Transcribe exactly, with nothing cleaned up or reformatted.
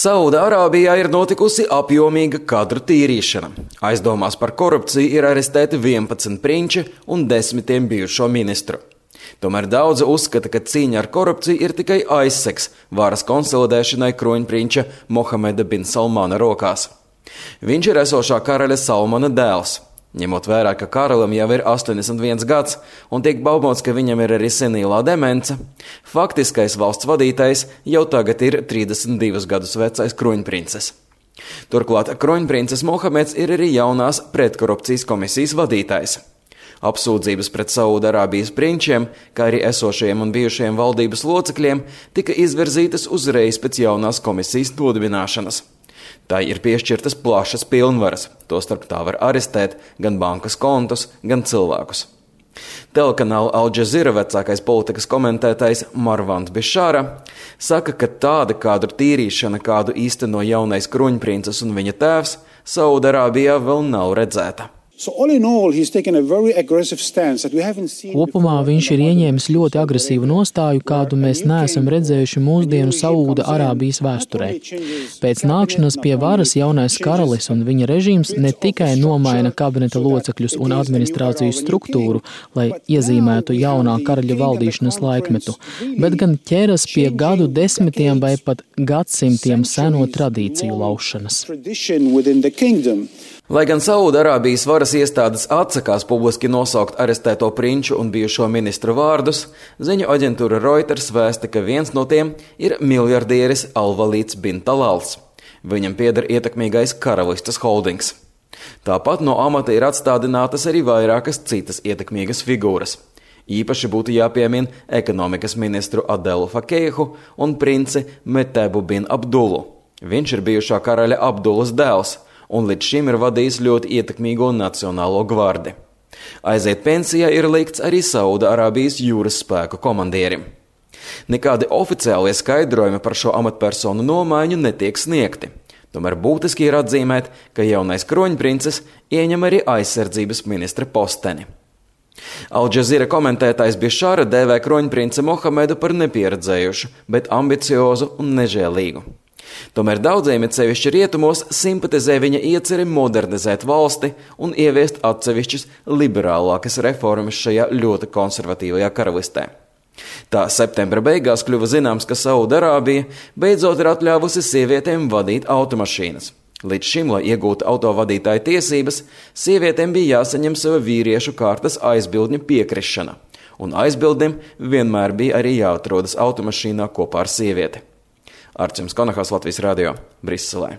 Saūda-Arābijā ir notikusi apjomīga kadru tīrīšana. Aizdomās par korupciju ir arestēti vienpadsmit prinči un desmitiem bijušo ministru. Tomēr daudzi uzskata, ka cīņa ar korupciju ir tikai aizsegs varas konsolidēšanai kroņprinča Mohameda bin Salmana rokās. Viņš ir esošā karaļa Salmana dēls. Ņemot vērā, ka karalim jau ir astoņdesmit viens gads un tiek baumots, ka viņam ir arī senīlā demence, faktiskais valsts vadītājs jau tagad ir trīsdesmit divus gadus vecais kroņprinces. Turklāt kroņprinces Mohameds ir arī jaunās pretkorupcijas komisijas vadītājs. Apsūdzības pret Saūda-Arābijas prinčiem, kā arī esošajiem un bijušajiem valdības locekļiem, tika izvirzītas uzreiz pēc jaunās komisijas nodibināšanas. Tai ir piešķirtas plašas pilnvaras, tostarp tā var arestēt gan bankas kontus, gan cilvēkus. Telekanāla Al Jazeera vecākais politikas komentētājs Marvans Bišāra saka, ka tāda kadru tīrīšana, kādu īsteno jaunais kroņprinces un viņa tēvs, Saūda-Arābijā vēl nav redzēta. So all in all, he's taken a very aggressive stance that we haven't seen. Kopumā viņš ir ieņēmis ļoti agresīvu nostāju, kādu mēs neesam redzējuši mūsdienu Saūda-Arābijas vēsturē. Pēc nākšanas pie varas jaunais karalis un viņa režīms ne tikai nomaina kabineta locekļus un administrācijas struktūru, lai iezīmētu jaunā karaļa valdīšanas laikmetu, bet gan ķeras pie gadu desmitiem vai pat gadsimtiem seno tradīciju laušanas. Lai gan Saūda-Arābijas varas iestādes atsakās publiski nosaukt arestēto prinču un bijušo ministru vārdus, ziņu aģentūra Reuters vēsta, ka viens no tiem ir miljardieris Al-Valīds bin Talals. Viņam pieder ietekmīgais karalistes holdings. Tāpat no amata ir atstādinātas arī vairākas citas ietekmīgas figūras. Īpaši būtu jāpiemina ekonomikas ministru Adelu Fakehu un princi Metebu bin Abdulu. Viņš ir bijušā karaļa Abdulas dēls un līdz šim ir vadījis ļoti ietekmīgo nacionālo gvardi. Aiziet pensijā ir likts arī Saūda-Arābijas jūras spēku komandierim. Nekādi oficiālie skaidrojumi par šo amatpersonu nomaiņu netiek sniegti. Tomēr būtiski ir atzīmēt, ka jaunais kroņprinces ieņem arī aizsardzības ministra posteni. Al Jazeera komentētājs Bišāra dēvē kroņprinci Mohamedu par nepieredzējušu, bet ambiciozu un nežēlīgu. Tomēr daudziem, it sevišķi rietumos, simpatizē viņa ieceri modernizēt valsti un ieviest atsevišķas liberālākas reformas šajā ļoti konservatīvajā karalistē. Tā septembra beigās kļuva zināms, ka Saūda-Arābija beidzot ir atļāvusi sievietēm vadīt automašīnas. Līdz šim, lai iegūtu autovadītāja tiesības, sievietēm bija jāsaņem sava vīriešu kārtas aizbildņa piekrišana, un aizbildnim vienmēr bija arī jāatrodas automašīnā kopā ar sievieti. Arčuns Konahas, Latvijas radio, Briselē.